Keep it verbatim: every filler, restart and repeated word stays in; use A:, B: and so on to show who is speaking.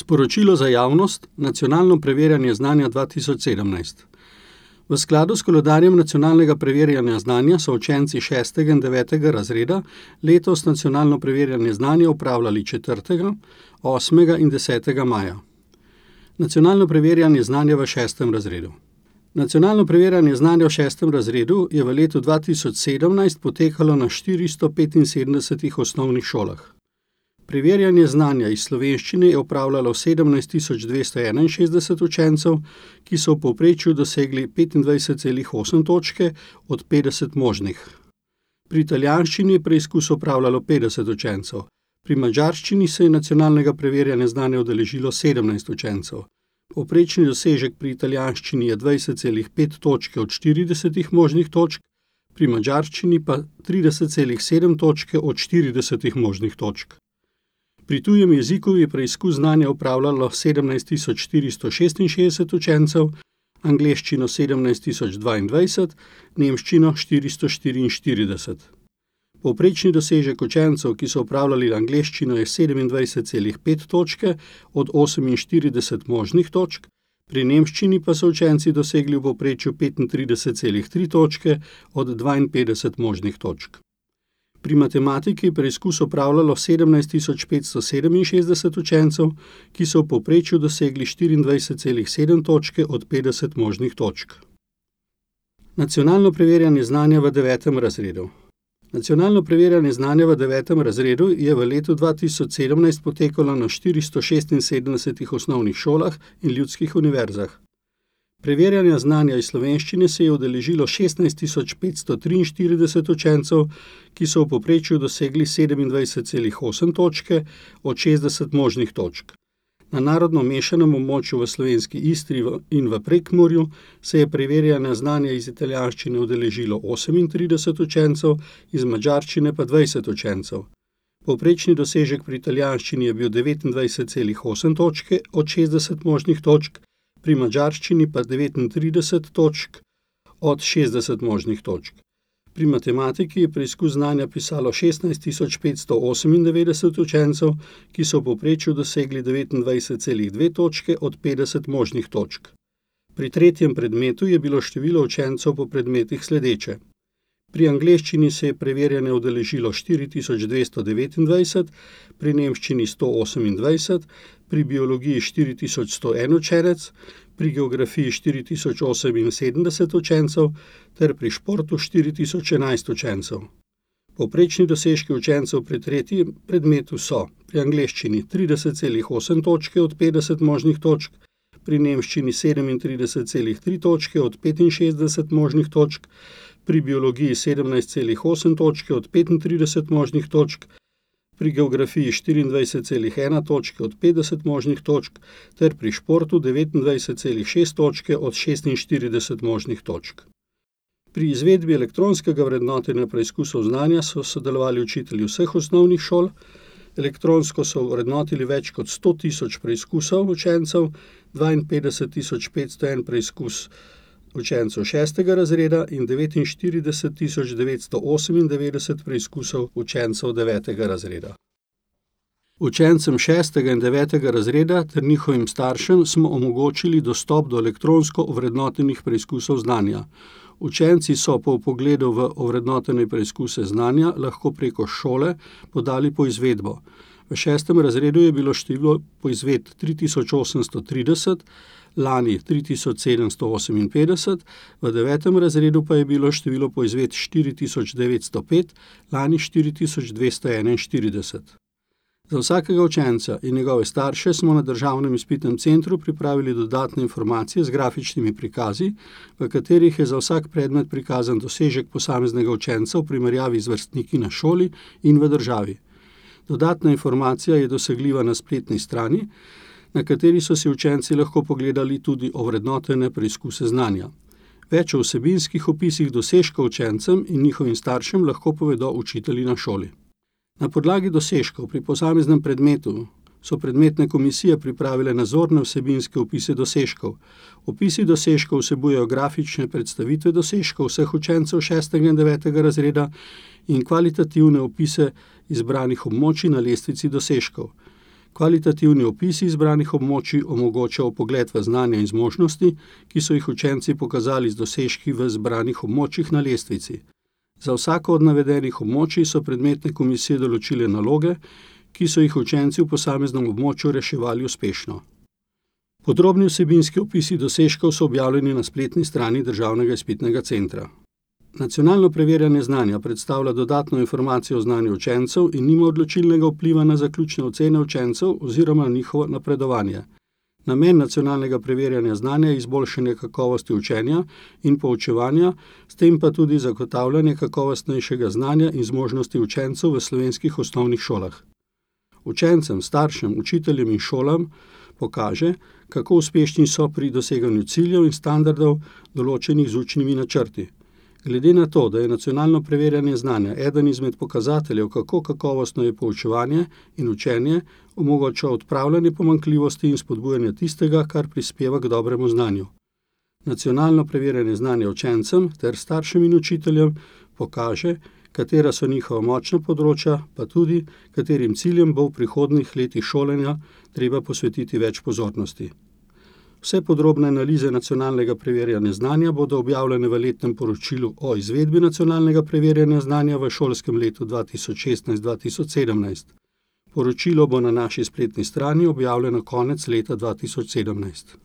A: Sporočilo za javnost, nacionalno preverjanje znanja dva tisoč sedemnajst. V skladu s koledarjem nacionalnega preverjanja znanja so učenci šestega in devetega razreda letos nacionalno preverjanje znanja opravljali četrtega, osmega in desetega maja. Nacionalno preverjanje znanja v šestem razredu. Nacionalno preverjanje znanja v šestem razredu je v letu dva tisoč sedemnajst potekalo na štiristo petinsedemdesetih osnovnih šolah. Preverjanje znanja iz slovenščine je opravljalo sedemnajst tisoč dvesto enainšestdeset učencev, ki so v povprečju dosegli petindvajset celih osem točke od petdeset možnih. Pri italijanščini je preizkus opravljalo petdeset učencev. Pri madžarščini se je nacionalnega preverjanja znanja udeležilo sedemnajst učencev. Povprečni dosežek pri italijanščini je dvajset celih pet točke od štiridesetih možnih točk, pri madžarščini pa trideset celih sedem točke od štiridesetih možnih točk. Pri tujem jeziku je preizkus znanja opravljalo sedemnajst tisoč štiristo šestinšestdeset učencev, angleščino sedemnajst tisoč dvaindvajset, nemščino štiristo štiriinštirideset. Povprečni dosežek učencev, ki so opravljali angleščino, je sedemindvajset celih pet točke od oseminštirideset možnih točk, pri nemščini pa so učenci dosegli v povprečju petintrideset celih tri točke od dvainpetdeset možnih točk. Pri matematiki je preizkus opravljalo sedemnajst tisoč petsto sedeminšestdeset učencev, ki so v povprečju dosegli štiriindvajset celih sedem točke od petdeset možnih točk. Nacionalno preverjanje znanja v devetem razredu. Nacionalno preverjanje znanja v devetem razredu je v letu dva tisoč sedemnajst potekalo na štiristo šestinsedemdesetih osnovnih šolah in ljudskih univerzah. Preverjanja znanja iz slovenščine se je udeležilo šestnajst tisoč petsto triinštirideset učencev, ki so v povprečju dosegli sedemindvajset celih osem točke od šestdeset možnih točk. Na narodno mešanem območju v slovenski Istri in v Prekmurju se je preverjanja znanja iz italijanščine udeležilo osemintrideset učencev, iz madžarščine pa dvajset učencev. Povprečni dosežek pri italijanščini je bil devetindvajset celih osem točke od šestdeset možnih točk, pri madžarščini pa devetintrideset točk od šestdeset možnih točk. Pri matematiki je preizkus znanja pisalo šestnajst tisoč petsto osemindevetdeset učencev, ki so v povprečju dosegli devetindvajset celih dve točke od petdeset možnih točk. Pri tretjem predmetu je bilo število učencev po predmetih sledeče. Pri angleščini se je preverjanje udeležilo štiri tisoč dvesto devetindvajset, pri nemščini sto osemindvajset, pri biologiji štiri tisoč sto en učenec, pri geografiji štiri tisoč oseminsedemdeset učencev ter pri športu štiri tisoč enajst učencev. Povprečni dosežki učencev pri tretjem predmetu so pri angleščini trideset celih osem točke od petdeset možnih točk, pri nemščini sedemintrideset celih tri točke od petinšestdeset možnih točk, pri biologiji sedemnajst celih osem točke od petintrideset možnih točk, pri geografiji štiriindvajset celih ena točke od petdeset možnih točk ter pri športu devetindvajset celih šest točke od šestinštirideset možnih točk. Pri izvedbi elektronskega vrednotenja preizkusov znanja so sodelovali učitelji vseh osnovnih šol. Elektronsko so vrednotili več kot sto tisoč preizkusov učencev, dvainpetdeset tisoč petsto en preizkus učencev šestega razreda in devetinštirideset tisoč devetsto osemindevetdeset preizkusov učencev devetega razreda. Učencem šestega in devetega razreda ter njihovim staršem smo omogočili dostop do elektronsko ovrednotenih preizkusov znanja. Učenci so po vpogledu v ovrednotene preizkuse znanja lahko preko šole podali poizvedbo. V šestem razredu je bilo število poizvedb tri tisoč osemsto trideset, lani tri tisoč sedemsto oseminpetdeset, v devetem razredu pa je bilo število poizvedb štiri tisoč devetsto pet, lani štiri tisoč dvesto enainštirideset. Za vsakega učenca in njegove starše smo na Državnem izpitnem centru pripravili dodatne informacije z grafičnimi prikazi, v katerih je za vsak predmet prikazan dosežek posameznega učenca v primerjavi z vrstniki na šoli in v državi. Dodatna informacija je dosegljiva na spletni strani, na kateri so si učenci lahko pogledali tudi ovrednotene preizkuse znanja. Več o vsebinskih opisih dosežkov učencem in njihovim staršem lahko povedo učitelji na šoli. Na podlagi dosežkov pri posameznem predmetu so predmetne komisije pripravile nazorne vsebinske opise dosežkov. Opisi dosežkov vsebujejo grafične predstavitve dosežkov vseh učencev šestega in devetega razreda in kvalitativne opise izbranih območij na lestvici dosežkov. Kvalitativni opisi izbranih območij omogočajo vpogled v znanja in zmožnosti, ki so jih učenci pokazali z dosežki v izbranih območjih na lestvici. Za vsako od navedenih območij so predmetne komisije določile naloge, ki so jih učenci v posameznem območju reševali uspešno. Podrobni vsebinski opisi dosežkov so objavljeni na spletni strani Državnega izpitnega centra. Nacionalno preverjanje znanja predstavlja dodatno informacijo o znanju učencev in nima odločilnega vpliva na zaključne ocene učencev oziroma na njihovo napredovanje. Namen nacionalnega preverjanja znanja je izboljšanje kakovosti učenja in poučevanja, s tem pa tudi zagotavljanje kakovostnejšega znanja in zmožnosti učencev v slovenskih osnovnih šolah. Učencem, staršem, učiteljem in šolam pokaže, kako uspešni so pri doseganju ciljev in standardov, določenih z učnimi načrti. Glede na to, da je nacionalno preverjanje znanja eden izmed pokazateljev, kako kakovostno je poučevanje in učenje, omogoča odpravljanje pomanjkljivosti in spodbujanje tistega, kar prispeva k dobremu znanju. Nacionalno preverjanje znanja učencem ter staršem in učiteljem pokaže, katera so njihova močna področja, pa tudi, katerim ciljem bo v prihodnjih letih šolanja treba posvetiti več pozornosti. Vse podrobne analize nacionalnega preverjanja znanja bodo objavljene v letnem poročilu o izvedbi nacionalnega preverjanja znanja v šolskem letu dva tisoč šestnajst dva tisoč sedemnajst. Poročilo bo na naši spletni strani objavljeno konec leta dva tisoč sedemnajst.